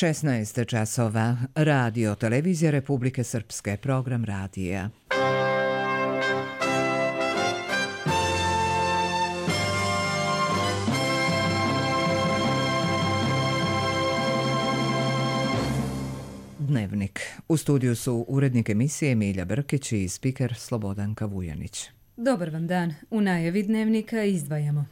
16 časova. Radio Televizija Republike Srpske. Program radija. Dnevnik. U studiju su urednik emisije Milja Brkić i spiker Slobodanka Vujanić. Dobar vam dan. U najavi dnevnika izdvajamo.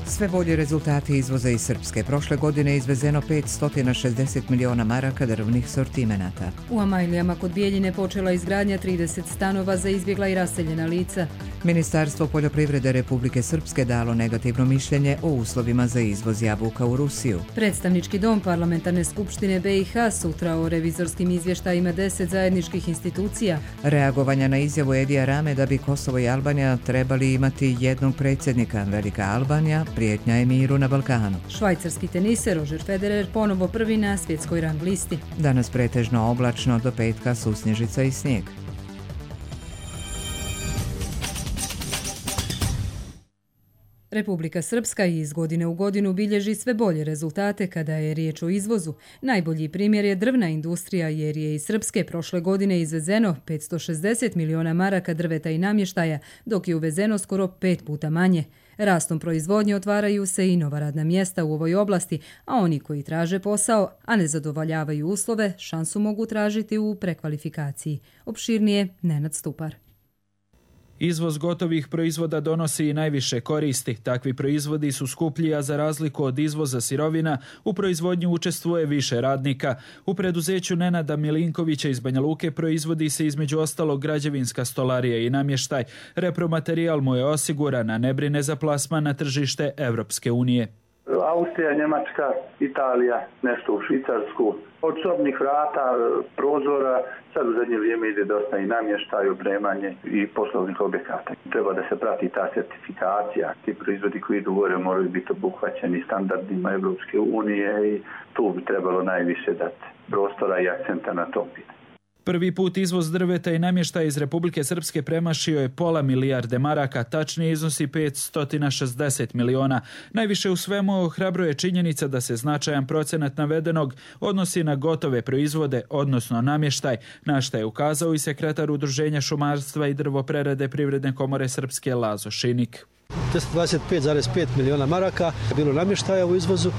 Sve bolji rezultati izvoza iz Srpske. Prošle godine je izvezeno 560 miliona maraka drvnih sortimenata. U Amajlijama kod Bijeljine počela izgradnja 30 stanova za izbjegla i raseljena lica. Ministarstvo poljoprivrede Republike Srpske dalo negativno mišljenje o uslovima za izvoz jabuka u Rusiju. Predstavnički dom Parlamentarne skupštine BiH sutra o revizorskim izvještajima 10 zajedničkih institucija. Reagovanja na izjavu Edija Rame da bi Kosovo i Albanija trebali imati jednog predsjednika. Velika Albanija prijetnja je miru na Balkanu. Švajcarski teniser Roger Federer ponovo prvi na svjetskoj rang listi. Danas pretežno oblačno, do petka susnježica i snijeg. Republika Srpska iz godine u godinu bilježi sve bolje rezultate kada je riječ o izvozu. Najbolji primjer je drvna industrija jer je iz Srpske prošle godine izvezeno 560 miliona maraka drveta i namještaja, dok je uvezeno skoro 5 puta manje. Rastom proizvodnje otvaraju se i nova radna mjesta u ovoj oblasti, a oni koji traže posao, a ne zadovoljavaju uslove, šansu mogu tražiti u prekvalifikaciji. Opširnije Nenad Stupar. Izvoz gotovih proizvoda donosi i najviše koristi. Takvi proizvodi su skuplji, a za razliku od izvoza sirovina, u proizvodnji učestvuje više radnika. U preduzeću Nenada Milinkovića iz Banja Luke proizvodi se između ostalog građevinska stolarija i namještaj. Repromaterijal mu je osiguran, a ne brine za plasman na tržište Evropske unije. Austrija, Njemačka, Italija, nešto u Švicarsku. Od sobnih vrata, prozora, sad u zadnje vrijeme ide dosta i namještaj, opremanje i poslovnih objekata. Treba da se prati ta certifikacija. Ti proizvodi koji idu gore moraju biti obuhvaćeni standardima Evropske unije i tu bi trebalo najviše dati prostora i akcenta na tom pitanju. Prvi put izvoz drveta i namještaja iz Republike Srpske premašio je pola milijarde maraka, tačnije iznosi 560 miliona. Najviše u svemu ohrabruje činjenica da se značajan procenat navedenog odnosi na gotove proizvode, odnosno namještaj, na šta je ukazao i sekretar Udruženja šumarstva i drvoprerade Privredne komore Srpske Lazo Šinik. 25,5 miliona maraka je bilo namještaja u izvozu,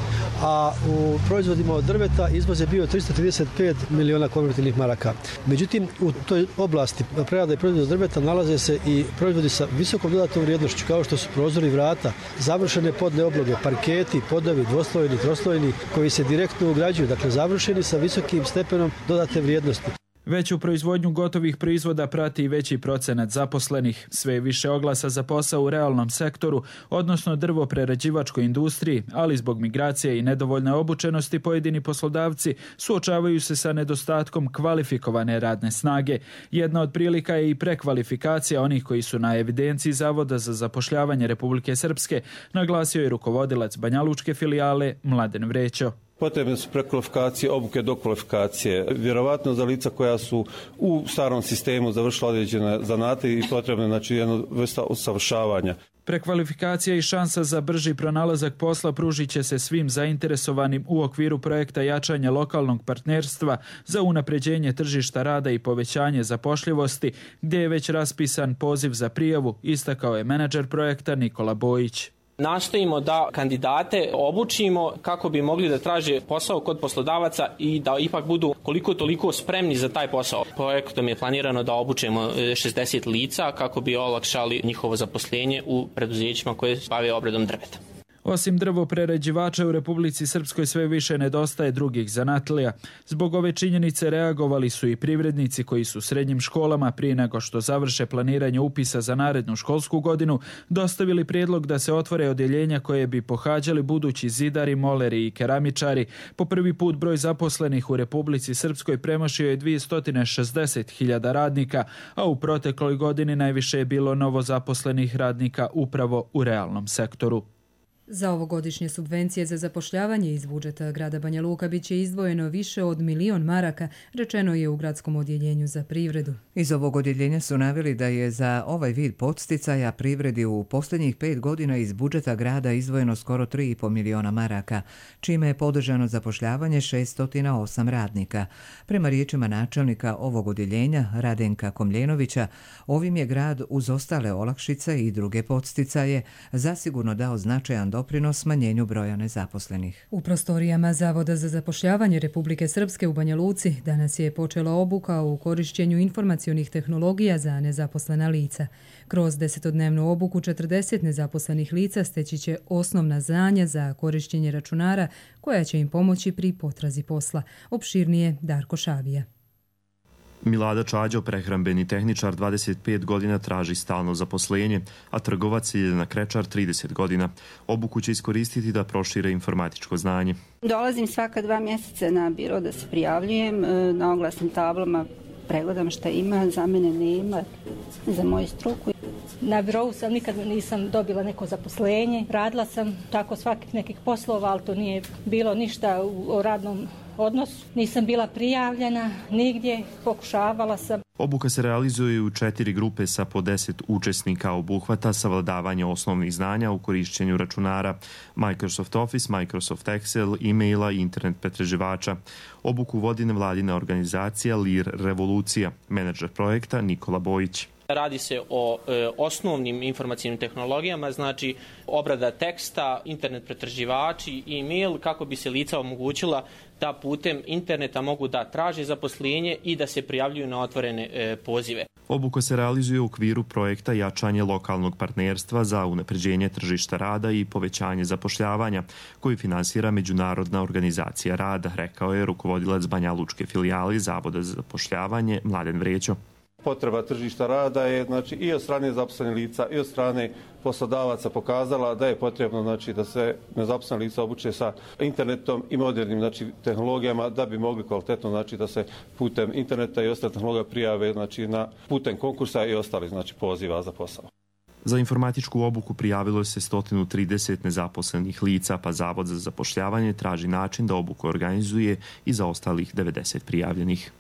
a u proizvodima od drveta izvoz je bio 335 miliona konvertibilnih maraka. Međutim, u toj oblasti prerade i proizvoda od drveta nalaze se i proizvodi sa visokom dodatnom vrijednošću, kao što su prozori vrata, završene podne obloge, parketi, podovi, dvoslojni, troslojni, koji se direktno ugrađuju, dakle završeni sa visokim stepenom dodatne vrijednosti. Veću proizvodnju gotovih proizvoda prati i veći procenat zaposlenih. Sve je više oglasa za posao u realnom sektoru, odnosno drvoprerađivačkoj industriji, ali zbog migracije i nedovoljne obučenosti pojedini poslodavci suočavaju se sa nedostatkom kvalifikovane radne snage. Jedna od prilika je i prekvalifikacija onih koji su na evidenciji Zavoda za zapošljavanje Republike Srpske, naglasio je rukovodilac banjalučke filijale Mladen Vrećo. Potrebne su prekvalifikacije, obuke, dokvalifikacije. Vjerovatno za lica koja su u starom sistemu završila određene zanate i potrebne, znači, jedna vrsta usavršavanja. Prekvalifikacija i šansa za brži pronalazak posla pružit će se svim zainteresovanim u okviru projekta jačanja lokalnog partnerstva za unapređenje tržišta rada i povećanje zapošljivosti, gdje je već raspisan poziv za prijavu, istakao je menadžer projekta Nikola Bojić. Nastojimo da kandidate obučimo kako bi mogli da traže posao kod poslodavaca i da ipak budu koliko toliko spremni za taj posao. Projektom je planirano da obučimo 60 lica kako bi olakšali njihovo zaposlenje u preduzećima koje se bave obradom drveta. Osim drvoprerađivača u Republici Srpskoj sve više nedostaje drugih zanatlija. Zbog ove činjenice reagovali su i privrednici koji su srednjim školama prije nego što završe planiranje upisa za narednu školsku godinu dostavili prijedlog da se otvore odjeljenja koje bi pohađali budući zidari, moleri i keramičari. Po prvi put broj zaposlenih u Republici Srpskoj premašio je 260.000 radnika, a u protekloj godini najviše je bilo novozaposlenih radnika upravo u realnom sektoru. Za ovogodišnje subvencije za zapošljavanje iz budžeta grada Banja Luka bit će izdvojeno više od 1.000.000 maraka, rečeno je u gradskom odjeljenju za privredu. Iz ovog odjeljenja su naveli da je za ovaj vid podsticaja privredi u posljednjih 5 godina iz budžeta grada izdvojeno skoro 3,5 miliona maraka, čime je podržano zapošljavanje 608 radnika. Prema riječima načelnika ovog odjeljenja, Radenka Komljenovića, ovim je grad uz ostale olakšice i druge podsticaje zasigurno dao značajan doprinos smanjenju broja nezaposlenih. U prostorijama Zavoda za zapošljavanje Republike Srpske u Banja Luci danas je počela obuka u korišćenju informacionih tehnologija za nezaposlena lica. Kroz 10-dnevnu obuku 40 nezaposlenih lica steći će osnovna znanja za korišćenje računara koja će im pomoći pri potrazi posla. Opširnije Darko Šavija. Milada Čađo, prehrambeni tehničar, 25 godina traži stalno zaposlenje, a trgovac Ljiljana Krečar 30 godina. Obuku će iskoristiti da prošire informatičko znanje. Dolazim svaka 2 mjeseca na biro da se prijavljujem, na oglasnim tablama pregledam šta ima, za mene nema, za moju struku. Na birovu sam nikad nisam dobila neko zaposlenje, radila sam tako svakih nekih poslova, ali to nije bilo ništa o radnom odnosu. Nisam bila prijavljena nigdje, pokušavala sam. Obuka se realizuje u 4 grupe sa po 10 učesnika, obuhvata savladavanje osnovnih znanja u korišćenju računara, Microsoft Office, Microsoft Excel, e-maila i internet pretraživača. Obuku vodi nevladina organizacija Lir Revolucija, menadžer projekta Nikola Bojić. Radi se o osnovnim informacijnim tehnologijama, znači obrada teksta, internet pretraživači, e-mail, kako bi se lica omogućila da putem interneta mogu da traže zaposlenje i da se prijavljuju na otvorene pozive. Obuka se realizuje u okviru projekta jačanje lokalnog partnerstva za unapređenje tržišta rada i povećanje zapošljavanja, koji finansira Međunarodna organizacija rada, rekao je rukovodilac Banja Lučke filijale Zavoda za zapošljavanje Mladen Vrećo. Potreba tržišta rada je i od strane zaposlenih lica i od strane poslodavaca pokazala da je potrebno da se nezaposlena lica obuče sa internetom i modernim tehnologijama da bi mogli kvalitetno da se putem interneta i ostalih tehnologija prijave na putem konkursa i ostalih poziva za posao. Za informatičku obuku prijavilo se 130 nezaposlenih lica, pa Zavod za zapošljavanje traži način da obuku organizuje i za ostalih 90 prijavljenih.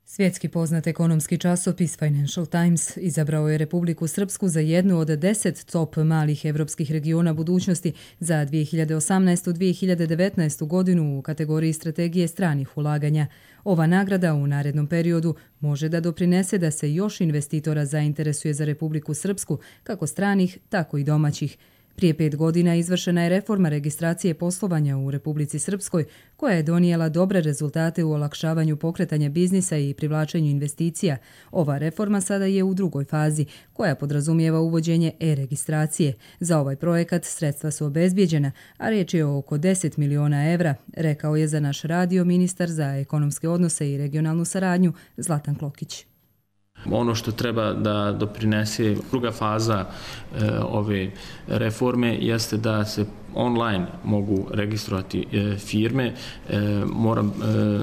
Svjetski poznat ekonomski časopis Financial Times izabrao je Republiku Srpsku za jednu od 10 top malih evropskih regiona budućnosti za 2018-2019 godinu u kategoriji strategije stranih ulaganja. Ova nagrada u narednom periodu može da doprinese da se još investitora zainteresuje za Republiku Srpsku, kako stranih, tako i domaćih. Prije 5 godina izvršena je reforma registracije poslovanja u Republici Srpskoj, koja je donijela dobre rezultate u olakšavanju pokretanja biznisa i privlačenju investicija. Ova reforma sada je u drugoj fazi, koja podrazumijeva uvođenje e-registracije. Za ovaj projekat sredstva su obezbijeđena, a riječ je o oko 10 miliona evra, rekao je za naš radio ministar za ekonomske odnose i regionalnu saradnju Zlatan Klokić. Ono što treba da doprinese druga faza ove reforme jeste da se online mogu registrovati firme. Moram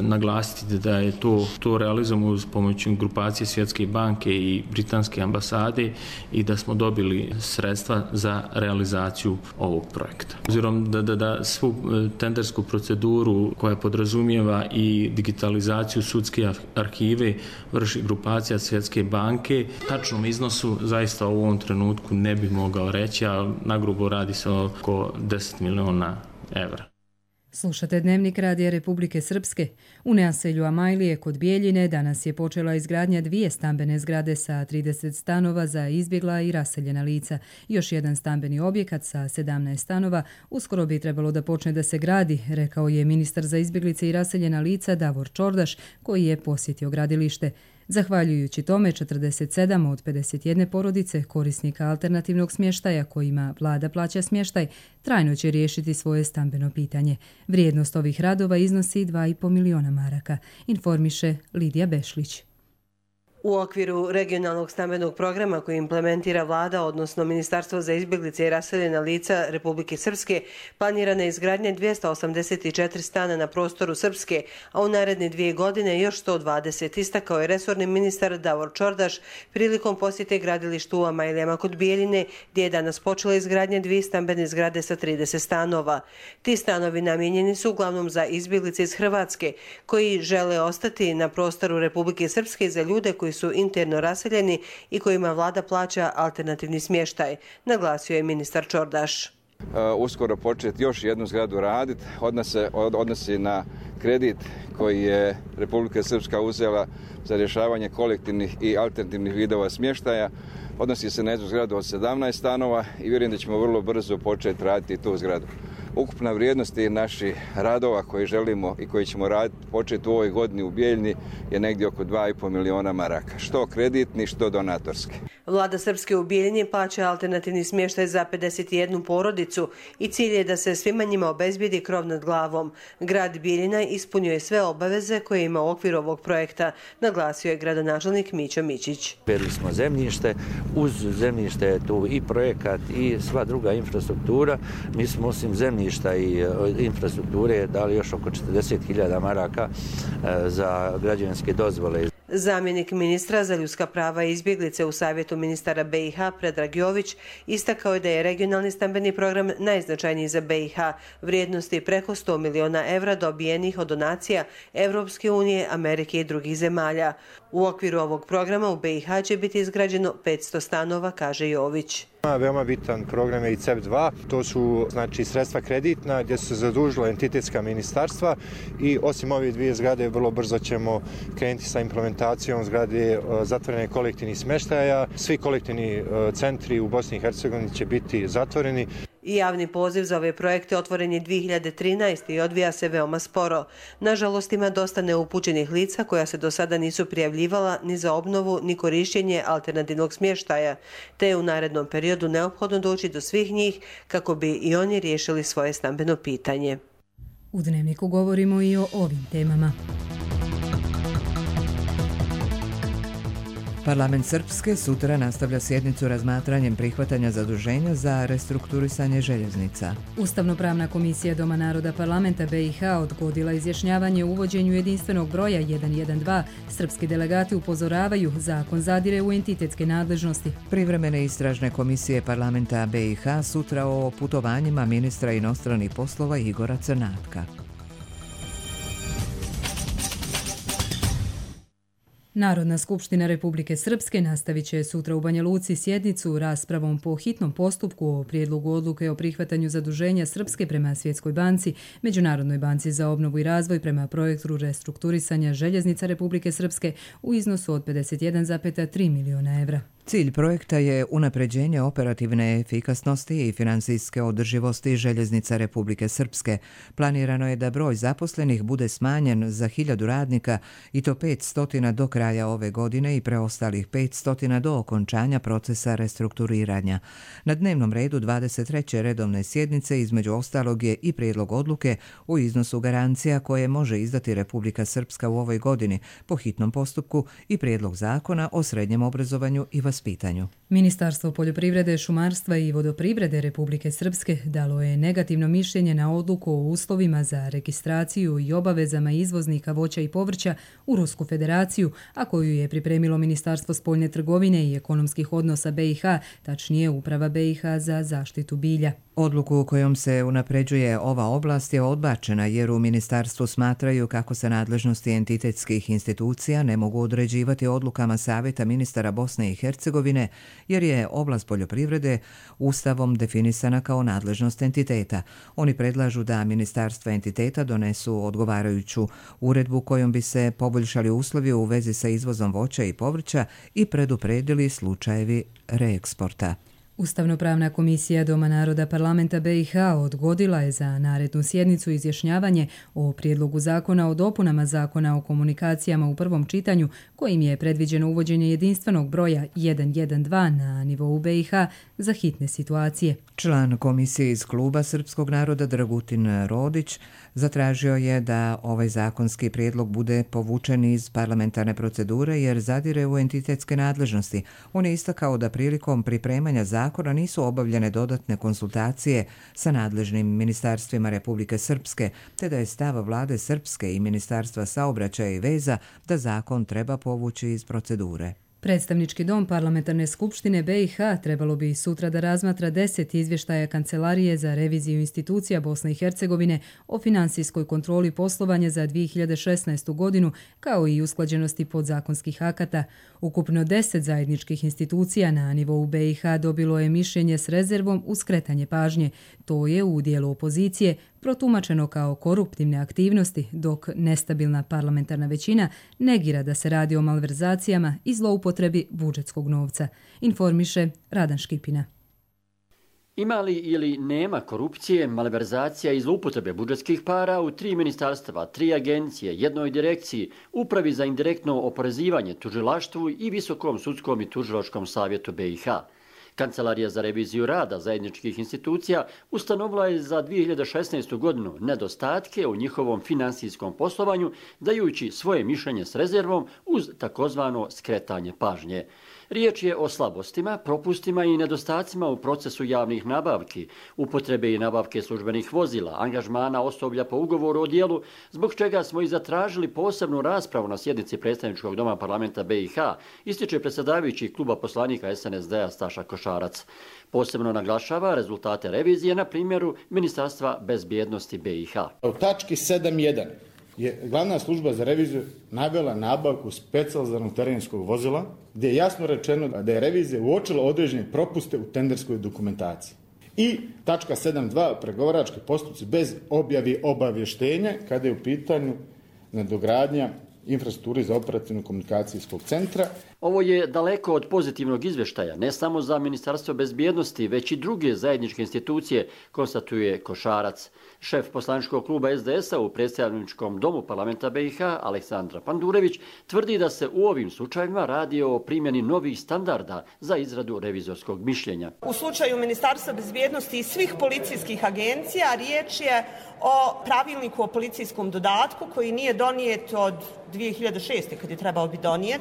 naglasiti da je to realizujemo uz pomoć grupacije Svjetske banke i Britanske ambasade i da smo dobili sredstva za realizaciju ovog projekta. Obzirom da svu tendersku proceduru koja podrazumijeva i digitalizaciju sudske arhive vrši grupacija Svjetske banke, tačnom iznosu zaista u ovom trenutku ne bih mogao reći, a nagrubo radi se oko 10 miliona evra. Slušate Dnevnik Radija Republike Srpske. U naselju Amajlije kod Bijeljine danas je počela izgradnja 2 stambene zgrade sa 30 stanova za izbjegla i raseljena lica. Još jedan stambeni objekat sa 17 stanova uskoro bi trebalo da počne da se gradi, rekao je ministar za izbjeglice i raseljena lica Davor Čordaš, koji je posjetio gradilište. Zahvaljujući tome, 47 od 51 porodice korisnika alternativnog smještaja kojima vlada plaća smještaj trajno će riješiti svoje stambeno pitanje. Vrijednost ovih radova iznosi 2,5 miliona maraka, informiše Lidija Bešlić. U okviru regionalnog stambenog programa koji implementira vlada, odnosno Ministarstvo za izbjeglice i raseljena lica Republike Srpske, planirana je izgradnja 284 stana na prostoru Srpske, a u naredne 2 godine još 120, istakao je resorni ministar Davor Čordaš prilikom posjete gradilištu u Amajlijama kod Bijeljine, gdje je danas počela izgradnja 2 stambene zgrade sa 30 stanova. Ti stanovi namijenjeni su uglavnom za izbjeglice iz Hrvatske, koji žele ostati na prostoru Republike Srpske za ljude koji su interno raseljeni i kojima vlada plaća alternativni smještaj, naglasio je ministar Čordaš. Uskoro početi još jednu zgradu raditi, odnosi na kredit koji je Republika Srpska uzela za rješavanje kolektivnih i alternativnih vidova smještaja. Odnosi se na jednu zgradu od 17 stanova i vjerujem da ćemo vrlo brzo početi raditi tu zgradu. Ukupna vrijednost naših radova koje želimo i koji ćemo početi u ovoj godini u Bijeljini je negdje oko 2,5 miliona maraka, što kreditni, što donatorski. Vlada Srpske u Bijeljini plaća alternativni smještaj za 51 porodicu i cilj je da se svima njima obezbijedi krov nad glavom. Grad Bijeljina ispunjuje sve obaveze koje ima u okviru ovog projekta, naglasio je gradonačelnik Mićo Mićić. Predili smo zemljište, uz zemljište je tu i projekat i sva druga infrastruktura. Mi smo osim zemljišta i infrastrukture dali još oko 40.000 maraka za građevinske dozvole. Zamjenik ministra za ljudska prava i izbjeglice u Savjetu ministara BiH Predrag Jović istakao je da je regionalni stambeni program najznačajniji za BiH, vrijednosti preko 100 miliona evra dobijenih od donacija Evropske unije, Amerike i drugih zemalja. U okviru ovog programa u BiH će biti izgrađeno 500 stanova, kaže Jović. Veoma bitan program je i CEP2, to su sredstva kreditna gdje su se zadužila entitetska ministarstva i osim ove 2 zgrade vrlo brzo ćemo krenuti sa implementacijom zgrade zatvorene kolektivnih smještaja. Svi kolektivni centri u Bosni i Hercegovini će biti zatvoreni. I javni poziv za ove projekte otvoren je 2013. i odvija se veoma sporo. Nažalost, ima dosta neupućenih lica koja se do sada nisu prijavljivala ni za obnovu ni korištenje alternativnog smještaja, te je u narednom periodu neophodno doći do svih njih kako bi i oni riješili svoje stambeno pitanje. U Dnevniku govorimo i o ovim temama. Parlament Srpske sutra nastavlja sjednicu razmatranjem prihvatanja zaduženja za restrukturisanje željeznica. Ustavno-pravna komisija Doma naroda parlamenta BiH odgodila izjašnjavanje o uvođenju jedinstvenog broja 112. Srpski delegati upozoravaju, zakon zadire u entitetske nadležnosti. Privremene istražne komisije parlamenta BiH sutra o putovanjima ministra inostranih poslova Igora Crnatka. Narodna skupština Republike Srpske nastavit će sutra u Banja Luci sjednicu raspravom po hitnom postupku o prijedlogu odluke o prihvatanju zaduženja Srpske prema Svjetskoj banci, Međunarodnoj banci za obnovu i razvoj prema projektu restrukturisanja željeznica Republike Srpske u iznosu od 51,3 miliona evra. Cilj projekta je unapređenje operativne efikasnosti i financijske održivosti željeznica Republike Srpske. Planirano je da broj zaposlenih bude smanjen za 1000 radnika i to 500 do kraja ove godine i preostalih 500 do okončanja procesa restrukturiranja. Na dnevnom redu 23. redovne sjednice između ostalog je i prijedlog odluke u iznosu garancija koje može izdati Republika Srpska u ovoj godini po hitnom postupku i prijedlog zakona o srednjem obrazovanju i vaspitanju. Ministarstvo poljoprivrede, šumarstva i vodoprivrede Republike Srpske dalo je negativno mišljenje na odluku o uslovima za registraciju i obavezama izvoznika voća i povrća u Rusku federaciju, a koju je pripremilo Ministarstvo spoljne trgovine i ekonomskih odnosa BiH, tačnije Uprava BiH za zaštitu bilja. Odluku kojom se unapređuje ova oblast je odbačena jer u ministarstvu smatraju kako se nadležnosti entitetskih institucija ne mogu određivati odlukama Savjeta ministara Bosne i Hercegovine jer je oblast poljoprivrede Ustavom definisana kao nadležnost entiteta. Oni predlažu da ministarstva entiteta donesu odgovarajuću uredbu kojom bi se poboljšali uslovi u vezi sa izvozom voća i povrća i predupredili slučajevi reeksporta. Ustavnopravna komisija Doma naroda parlamenta BiH odgodila je za narednu sjednicu izjašnjavanje o prijedlogu zakona o dopunama zakona o komunikacijama u prvom čitanju, kojim je predviđeno uvođenje jedinstvenog broja 112 na nivou BiH za hitne situacije. Član komisije iz kluba Srpskog naroda Dragutin Rodić zatražio je da ovaj zakonski prijedlog bude povučen iz parlamentarne procedure jer zadire u entitetske nadležnosti. On je istakao da prilikom pripremanja zakona nisu obavljene dodatne konsultacije sa nadležnim ministarstvima Republike Srpske, te da je stav vlade Srpske i Ministarstva saobraćaja i veza da zakon treba povući iz procedure. Predstavnički dom Parlamentarne skupštine BiH trebalo bi sutra da razmatra 10 izvještaja Kancelarije za reviziju institucija Bosne i Hercegovine o finansijskoj kontroli poslovanja za 2016. godinu, kao i usklađenosti podzakonskih akata. Ukupno 10 zajedničkih institucija na nivou BiH dobilo je mišljenje s rezervom uz skretanje pažnje. To je u dijelu opozicije protumačeno kao koruptivne aktivnosti, dok nestabilna parlamentarna većina negira da se radi o malverzacijama i zloupotrebi budžetskog novca, informiše Radan Škipina. Ima li ili nema korupcije, malverzacija i zloupotrebe budžetskih para u 3 ministarstva, 3 agencije, jednoj direkciji, upravi za indirektno oporezivanje, tužilaštvu i Visokom sudskom i tužilačkom savjetu BiH. Kancelarija za reviziju rada zajedničkih institucija ustanovila je za 2016. godinu nedostatke u njihovom finansijskom poslovanju, dajući svoje mišljenje s rezervom uz takozvano skretanje pažnje. Riječ je o slabostima, propustima i nedostacima u procesu javnih nabavki, upotrebe i nabavke službenih vozila, angažmana osoblja po ugovoru o dijelu, zbog čega smo i zatražili posebnu raspravu na sjednici Predstavničkog doma parlamenta BiH, ističe predsjedavajući kluba poslanika SNSD-a Staša Košarac. Posebno naglašava rezultate revizije na primjeru Ministarstva bezbjednosti BiH. U tački 7.1 je glavna služba za reviziju navela nabavku specijaliziranog terenskog vozila, gdje je jasno rečeno da je revizija uočila određene propuste u tenderskoj dokumentaciji. I tačka 7.2 pregovarački postupci bez objavi obavještenja kada je u pitanju nadogradnja infrastrukturi za operativno komunikacijskog centra. Ovo je daleko od pozitivnog izvještaja, ne samo za Ministarstvo bezbjednosti, već i druge zajedničke institucije, konstatuje Košarac. Šef poslaničkog kluba SDS-a u Predstavničkom domu parlamenta BiH, Aleksandra Pandurević, tvrdi da se u ovim slučajevima radi o primjeni novih standarda za izradu revizorskog mišljenja. U slučaju Ministarstva bezbjednosti i svih policijskih agencija riječ je o pravilniku o policijskom dodatku koji nije donijet od 2006. kad je trebao biti donijet.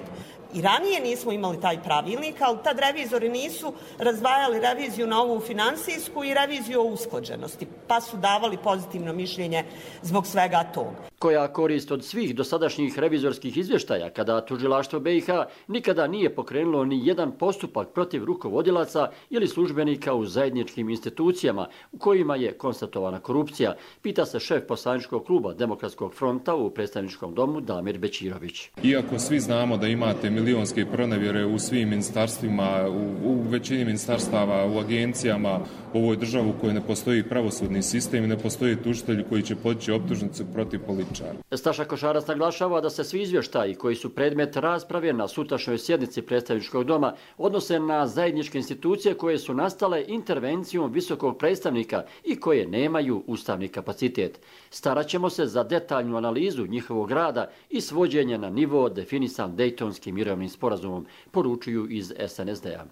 I ranije nismo imali taj pravilnik, ali tad revizori nisu razdvajali reviziju na ovu finansijsku i reviziju o usklađenosti, pa su davali pozitivno mišljenje zbog svega toga. Koja korist od svih dosadašnjih revizorskih izvještaja kada tužilaštvo BiH nikada nije pokrenulo ni jedan postupak protiv rukovodilaca ili službenika u zajedničkim institucijama u kojima je konstatovana korupcija, pita se šef poslaničkog kluba Demokratskog fronta u Predstavničkom domu Damir Bećirović. Iako svi znamo da imate milionske pronevjere u svim ministarstvima, u većini ministarstava, u agencijama, u ovoj državi u kojoj ne postoji pravosudni sistem i ne postoji tužitelji koji će podići optužnicu protiv političara. Staša Košarac naglašava da se svi izvještaji koji su predmet rasprave na sutrašnjoj sjednici Predstavničkog doma odnose na zajedničke institucije koje su nastale intervencijom visokog predstavnika i koje nemaju ustavni kapacitet. Staraćemo se za detaljnu analizu njihovog rada i svođenje na nivo definisan Dejtonskim mirovnim sporazumom, poručuju iz SNSD-a.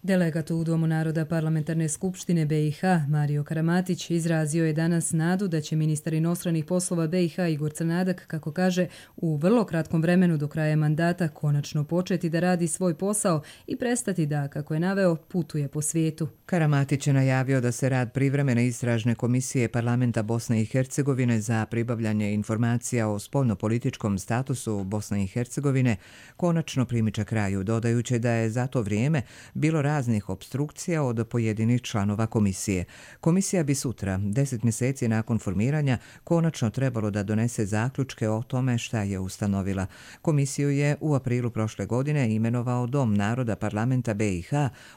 Delegat u Domu naroda Parlamentarne skupštine BiH Mario Karamatić izrazio je danas nadu da će ministar inostranih poslova BiH Igor Crnadak, kako kaže, u vrlo kratkom vremenu do kraja mandata konačno početi da radi svoj posao i prestati da, kako je naveo, putuje po svijetu. Karamatić je najavio da se rad privremene istražne komisije Parlamenta Bosne i Hercegovine za pribavljanje informacija o spoljnopolitičkom statusu Bosne i Hercegovine konačno primiče kraju, dodajući da je za to vrijeme bilo raznih opstrukcija od pojedinih članova komisije. Komisija bi sutra, 10 mjeseci nakon formiranja, konačno trebalo da donese zaključke o tome šta je ustanovila. Komisiju je u aprilu prošle godine imenovao Dom naroda parlamenta BiH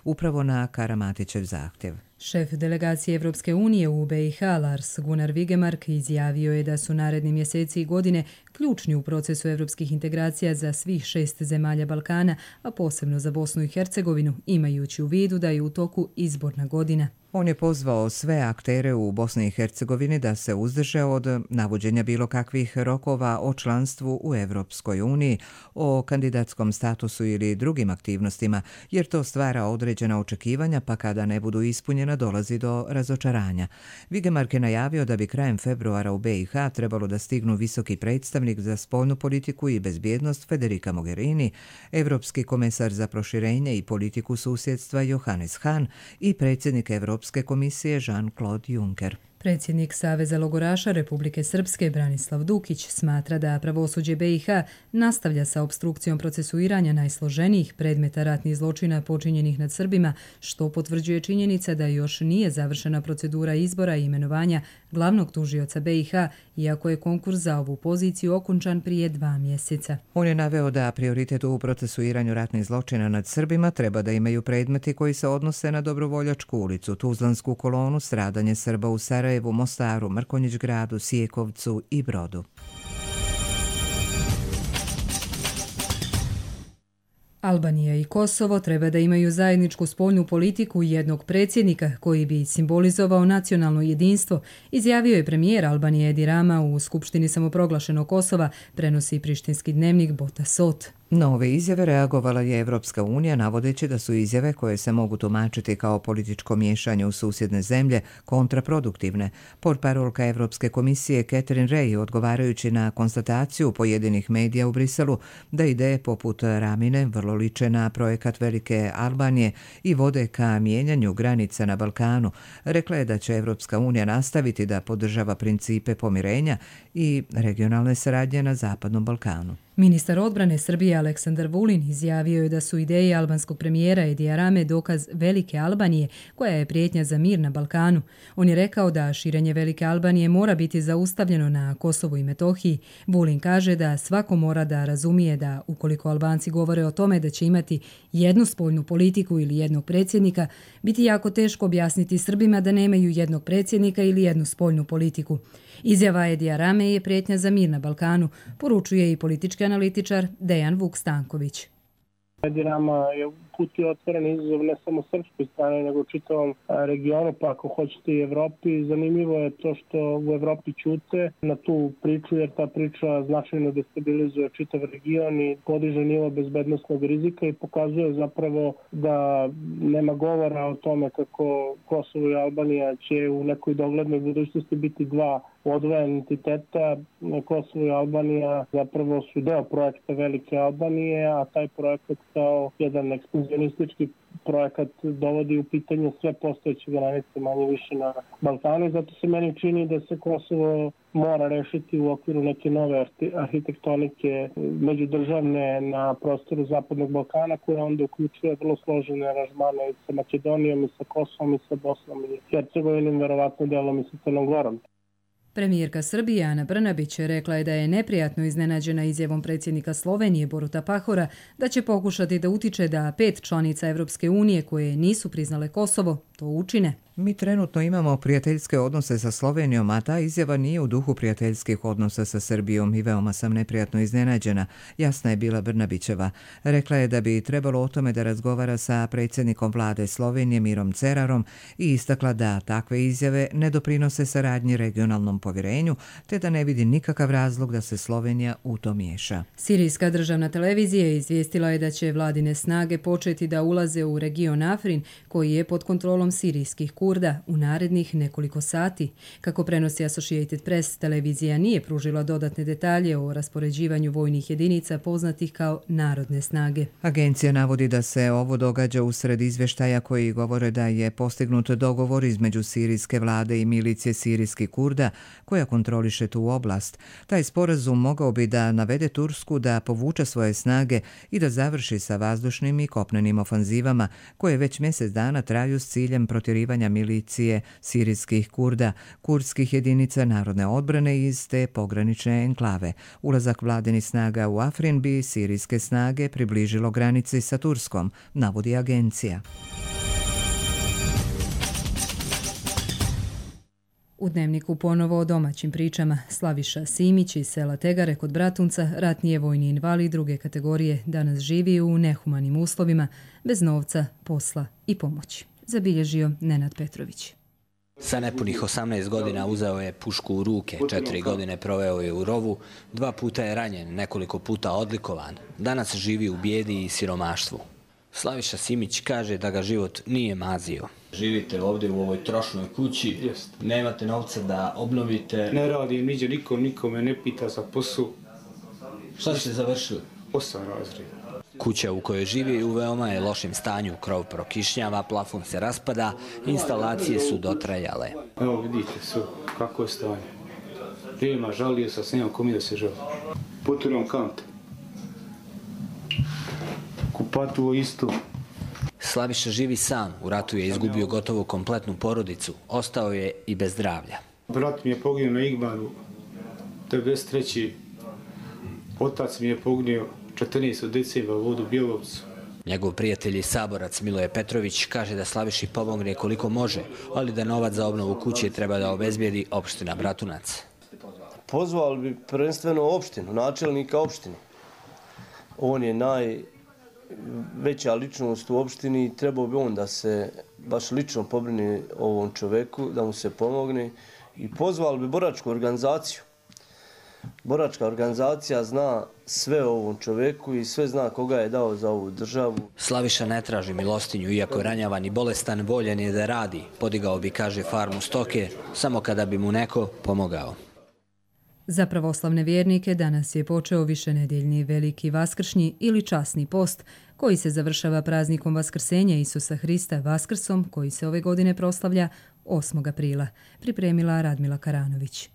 upravo na Karamatićev zahtjev. Šef delegacije Evropske unije u BiH Lars Gunnar Vigemark izjavio je da su naredni mjeseci i godine ključni u procesu evropskih integracija za svih 6 zemalja Balkana, a posebno za Bosnu i Hercegovinu, imajući u vidu da je u toku izborna godina. On je pozvao sve aktere u Bosni i Hercegovini da se uzdrže od navođenja bilo kakvih rokova o članstvu u Evropskoj uniji, o kandidatskom statusu ili drugim aktivnostima, jer to stvara određena očekivanja, pa kada ne budu ispunjena dolazi do razočaranja. Vigemark je najavio da bi krajem februara u BiH trebalo da stignu visoki predstavnik za spoljnu politiku i bezbjednost Federica Mogherini, evropski komesar za proširenje i politiku susjedstva Johannes Hahn i predsjednik Evropske komisije Jean-Claude Juncker. Predsjednik Saveza logoraša Republike Srpske Branislav Dukić smatra da pravosuđe BiH nastavlja sa opstrukcijom procesuiranja najsloženijih predmeta ratnih zločina počinjenih nad Srbima, što potvrđuje činjenica da još nije završena procedura izbora i imenovanja glavnog tužioca BiH, iako je konkurs za ovu poziciju okončan prije 2 mjeseca. On je naveo da prioritet u procesuiranju ratnih zločina nad Srbima treba da imaju predmeti koji se odnose na Dobrovoljačku ulicu, Tuzlansku kolonu, stradanje Srba u Sarajevu, Mostaru, Mrkonjić gradu, Sijekovcu i Brodu. Albanija i Kosovo treba da imaju zajedničku spoljnu politiku jednog predsjednika koji bi simbolizovao nacionalno jedinstvo, izjavio je premijer Albanije Edi Rama u Skupštini samoproglašenog Kosova, prenosi prištinski dnevnik Bota Sot. Na ove izjave reagovala je Evropska unija navodeći da su izjave koje se mogu tumačiti kao političko miješanje u susjedne zemlje kontraproduktivne. Portparolka Evropske komisije Catherine Ray, odgovarajući na konstataciju pojedinih medija u Briselu da ideje poput Ramine vrlo liče na projekat Velike Albanije i vode ka mijenjanju granica na Balkanu, rekla je da će Evropska unija nastaviti da podržava principe pomirenja i regionalne saradnje na Zapadnom Balkanu. Ministar odbrane Srbije Aleksandar Vulin izjavio je da su ideje albanskog premijera Edija Rame dokaz Velike Albanije, koja je prijetnja za mir na Balkanu. On je rekao da širenje Velike Albanije mora biti zaustavljeno na Kosovu i Metohiji. Vulin kaže da svako mora da razumije da ukoliko Albanci govore o tome da će imati jednu spoljnu politiku ili jednog predsjednika, biti jako teško objasniti Srbima da nemaju jednog predsjednika ili jednu spoljnu politiku. Izjava Edija Rame je prijetnja za mir na Balkanu, poručuje i politički analitičar Dejan Vuk-Stanković. Edi Rama je uputio otvoren izazov ne samo srpskoj strani, nego čitavom regionu, pa ako hoćete i Evropi. Zanimljivo je to što u Evropi ćute na tu priču, jer ta priča značajno destabilizuje čitav region i podiže nivo bezbednosnog rizika i pokazuje zapravo da nema govora o tome kako Kosovo i Albanija će u nekoj doglednoj budućnosti biti dva odvojena entiteta. Kosovo i Albanija zapravo su deo projekta Velike Albanije, a taj projekat kao jedan ekspanzionistički projekat dovodi u pitanje sve postojeće granice manje više na Balkanu. Zato se meni čini da se Kosovo mora rešiti u okviru neke nove arhitektonike međudržavne na prostoru Zapadnog Balkana, koja onda uključuje vrlo složene aranžmane i sa Makedonijom, i sa Kosovom, i sa Bosnom i Hercegovinom, verovatno delom i sa Crnom Gorom. Premijerka Srbije Ana Brnabić rekla je da je neprijatno iznenađena izjavom predsjednika Slovenije Boruta Pahora da će pokušati da utiče da 5 članica Evropske unije koje nisu priznale Kosovo to učine. Mi trenutno imamo prijateljske odnose sa Slovenijom, a ta izjava nije u duhu prijateljskih odnosa sa Srbijom i veoma sam neprijatno iznenađena, jasna je bila Brnabićeva. Rekla je da bi trebalo o tome da razgovara sa predsjednikom vlade Slovenije Mirom Cerarom i istakla da takve izjave ne doprinose saradnji regionalnom povjerenju, te da ne vidi nikakav razlog da se Slovenija u to miješa. Sirijska državna televizija izvijestila je da će vladine snage početi da ulaze u region Afrin, koji je pod kontrolom sirijskih Kurda u narednih nekoliko sati. Kako prenosi Associated Press, televizija nije pružila dodatne detalje o raspoređivanju vojnih jedinica poznatih kao narodne snage. Agencija navodi da se ovo događa usred izvještaja koji govore da je postignut dogovor između sirijske vlade i milicije sirijskih Kurda koja kontroliše tu oblast. Taj sporazum mogao bi da navede Tursku da povuče svoje snage i da završi sa vazdušnim i kopnenim ofanzivama koje već mjesec dana traju s ciljem protjerivanja milicije sirijskih Kurda, kurdskih jedinica narodne odbrane iz te pogranične enklave. Ulazak vladinih snaga u Afrin bi sirijske snage približilo granici sa Turskom, navodi agencija. U Dnevniku ponovo o domaćim pričama. Slaviša Simić iz sela Tegare kod Bratunca, ratni je vojni invalid druge kategorije, danas živi u nehumanim uslovima, bez novca, posla i pomoći. Zabilježio Nenad Petrović. Sa nepunih 18 godina uzeo je pušku u ruke, 4 godine proveo je u rovu, 2 puta je ranjen, nekoliko puta odlikovan. Danas živi u bijedi i siromaštvu. Slaviša Simić kaže da ga život nije mazio. Živite ovdje u ovoj trošnoj kući, nemate novca da obnovite. Ne radim, niđe nikome ne pita za posao. Šta ste završili? 8 razreda. Kuća u kojoj živi u veoma je lošem stanju, krov prokišnjava, plafon se raspada, instalacije su dotrajale. Evo vidite su kako je stanje. Nema, žalio sam, s nemam komi da se žali. Poturam kante. Kupatuo isto. Slaviša živi sam, u ratu je izgubio gotovo kompletnu porodicu, ostao je i bez zdravlja. Brat mi je poginuo na Igmanu, 93. Otac mi je poginuo 14. decembra u vodu Bjelovcu. Njegov prijatelj i saborac Miloje Petrović kaže da Slaviši pomogne koliko može, ali da novac za obnovu kuće treba da obezbijedi opština Bratunac. Pozvali bi prvenstveno opštinu, načelnika opštine. On je najveća ličnost u opštini i trebao bi on da se baš lično pobrine o ovom čoveku, da mu se pomogne i pozvali bi boračku organizaciju. Boračka organizacija zna sve o ovom čoveku i sve zna koga je dao za ovu državu. Slaviša ne traži milostinju, iako je ranjavan i bolestan, voljen je da radi. Podigao bi, kaže, farmu stoke, samo kada bi mu neko pomogao. Za pravoslavne vjernike danas je počeo višenedjeljni veliki vaskršnji ili časni post, koji se završava praznikom Vaskrsenja Isusa Hrista Vaskrsom, koji se ove godine proslavlja 8. aprila, pripremila Radmila Karanović.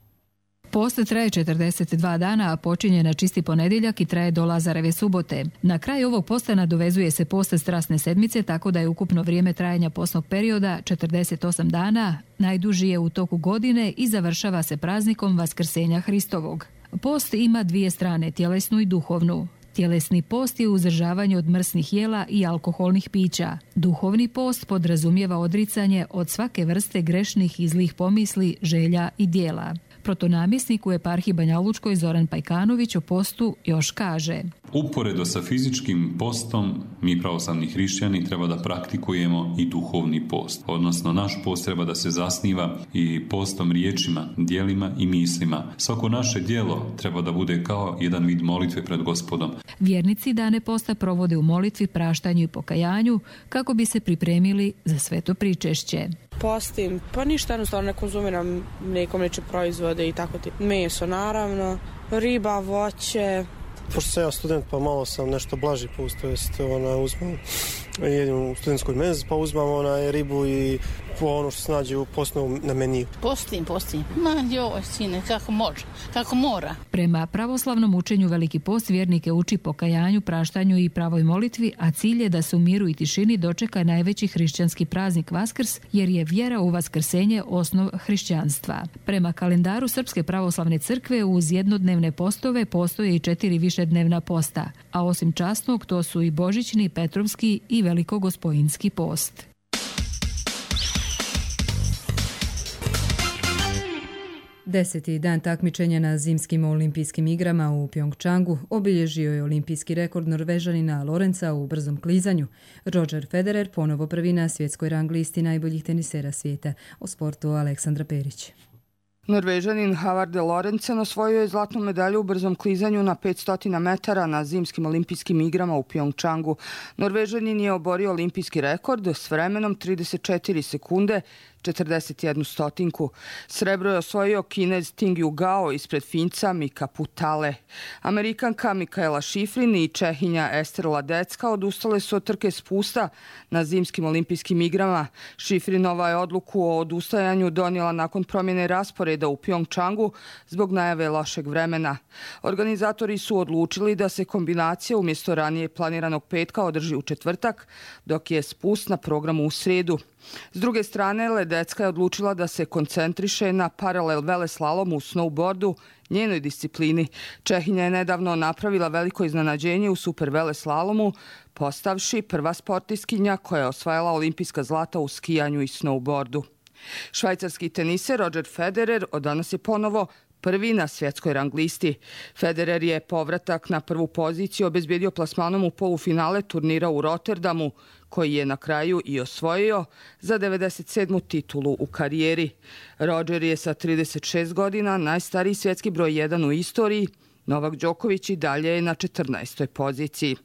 Post traje 42 dana, a počinje na čisti ponedjeljak i traje do Lazareve subote. Na kraju ovog posta nadovezuje se post Strasne sedmice, tako da je ukupno vrijeme trajanja postnog perioda 48 dana, najduži je u toku godine i završava se praznikom Vaskrsenja Hristovog. Post ima dvije strane, tjelesnu i duhovnu. Tjelesni post je uzdržavanje od mrsnih jela i alkoholnih pića. Duhovni post podrazumijeva odricanje od svake vrste grešnih i zlih pomisli, želja i dijela. Protonamjesnik u eparhiji Banja Lučkoj Zoran Pajkanović o postu još kaže: Uporedo sa fizičkim postom, mi pravoslavni hrišćani treba da praktikujemo i duhovni post. Odnosno, naš post treba da se zasniva i postom riječima, djelima i mislima. Svako naše djelo treba da bude kao jedan vid molitve pred Gospodom. Vjernici dane posta provode u molitvi, praštanju i pokajanju kako bi se pripremili za sveto pričešće. Postim, pa ništa, jednostavno ne konzumiram neke mliječne proizvode i tako ti. Meso naravno, riba, voće. Pošto sam ja student, pa malo sam nešto blaži pust, to jest uzmem, jedem u studentskoj menzi, pa uzmem ribu i ono što se nađe u postnom na meniju. Postim. Ma joj, sine, kako može, kako mora. Prema pravoslavnom učenju Veliki post vjernike uči pokajanju, praštanju i pravoj molitvi, a cilj je da se u miru i tišini dočeka najveći hrišćanski praznik Vaskrs, jer je vjera u vaskrsenje osnov hrišćanstva. Prema kalendaru Srpske pravoslavne crkve uz jednodnevne postove postoje i 4 višednevna posta, a osim časnog to su i božićni, petrovski i velikogospojinski post. Deseti dan takmičenja na zimskim olimpijskim igrama u Pjongčangu obilježio je olimpijski rekord Norvežanina Lorenza u brzom klizanju. Roger Federer ponovo prvi na svjetskoj rang listi najboljih tenisera svijeta. O sportu Aleksandra Perić. Norvežanin Havard Lorenzen osvojio je zlatnu medalju u brzom klizanju na 500 metara na zimskim olimpijskim igrama u Pjongčangu. Norvežanin je oborio olimpijski rekord s vremenom 34 sekunde 41 stotinku. Srebro je osvojio Kinez Tingju Gao ispred Finca Mika Putale. Amerikanka Mikaela Šifrin i Čehinja Ester Ladecka odustale su od trke spusta na zimskim olimpijskim igrama. Šifrinova je odluku o odustajanju donijela nakon promjene rasporeda u Pjongčangu zbog najave lošeg vremena. Organizatori su odlučili da se kombinacija umjesto ranije planiranog petka održi u četvrtak, dok je spust na programu u srijedu. S druge strane, Ledecka je odlučila da se koncentriše na paralel veleslalom u snowboardu, njenoj disciplini. Čehinja je nedavno napravila veliko iznenađenje u super veleslalomu, postavši prva sportistkinja koja je osvajala olimpijska zlata u skijanju i snowboardu. Švajcarski teniser Roger Federer od danas je ponovo prvi na svjetskoj rang listi. Federer je povratak na prvu poziciju obezbijedio plasmanom u polufinale turnira u Rotterdamu, koji je na kraju i osvojio za 97. titulu u karijeri. Roger je sa 36 godina najstariji svjetski broj 1 u istoriji. Novak Đoković i dalje je na 14. poziciji.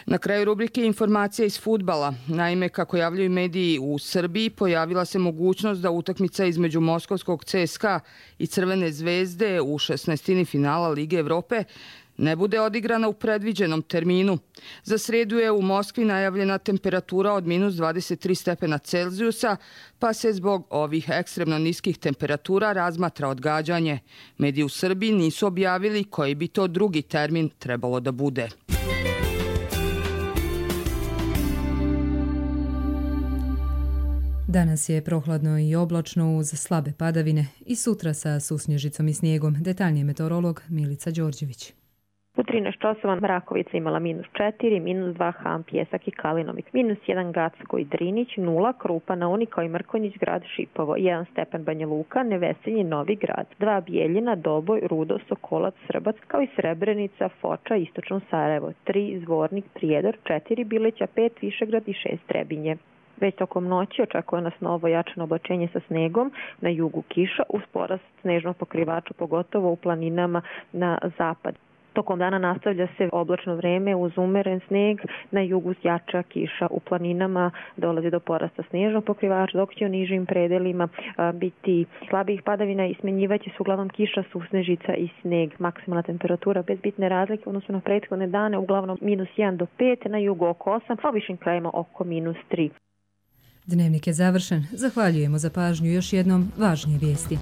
Na kraju rubrike informacija iz fudbala. Naime, kako javljaju mediji u Srbiji, pojavila se mogućnost da utakmica između moskovskog CSKA i Crvene zvezde u 16. finala Lige Evrope ne bude odigrana u predviđenom terminu. Za sredu je u Moskvi najavljena temperatura od minus 23 stepena Celzijusa, pa se zbog ovih ekstremno niskih temperatura razmatra odgađanje. Mediji u Srbiji nisu objavili koji bi to drugi termin trebalo da bude. Danas je prohladno i oblačno uz slabe padavine i sutra sa susnježicom i snijegom. Detaljnije meteorolog Milica Đorđević. U 13 časova Mrakovica imala minus 4, minus 2 Ham, Pjesak i Kalinovik, minus 1 Gacko i Drinić, 0 Krupa, Naunik kao i Mrkonjić, grad Šipovo, 1 Stepen, Banja Luka, Nevesinje, Novi Grad, 2 Bijeljina, Doboj, Rudo, Sokolac, Srbac, kao i Srebrenica, Foča, Istočno Sarajevo, 3 Zvornik, Prijedor, 4 Bileća, 5 Višegrad i 6 Trebinje. Već tokom noći očekuje nas novo jačano oblačenje sa snegom, na jugu kiša, uz porast snežnog pokrivača, pogotovo u planinama na zapad. Tokom dana nastavlja se oblačno vreme uz umeren sneg, na jugu jača kiša, u planinama dolazi do porasta snežnog pokrivača, dok će u nižim predelima biti slabih padavina i smenjivaće se uglavnom kiša, susnežica i sneg. Maksimalna temperatura bez bitne razlike odnosno na prethodne dane uglavnom minus 1 do 5, na jugu oko 8, a u višim krajima oko minus 3. Dnevnik je završen. Zahvaljujemo za pažnju. Još jednom važnije vijesti.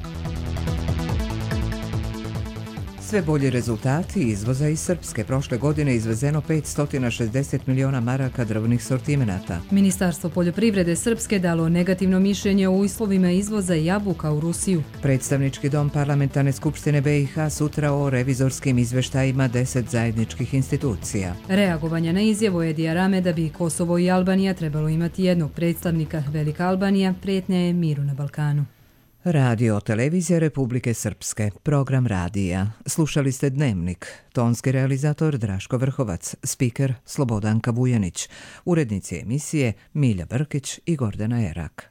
Sve bolji rezultati izvoza iz Srpske. Prošle godine izvezeno 560 miliona maraka drvnih sortimenata. Ministarstvo poljoprivrede Srpske dalo negativno mišljenje o uslovima izvoza jabuka u Rusiju. Predstavnički dom Parlamentarne skupštine BiH sutra o revizorskim izveštajima 10 zajedničkih institucija. Reagovanja na izjavu Edija Rame da bi Kosovo i Albanija trebalo imati jednog predstavnika. Velika Albanija prijetnja je miru na Balkanu. Radio televizija Republike Srpske, program radija. Slušali ste Dnevnik, tonski realizator Draško Vrhovac, spiker Slobodanka Vujanić, urednici emisije Milja Brkić i Gordana Erak.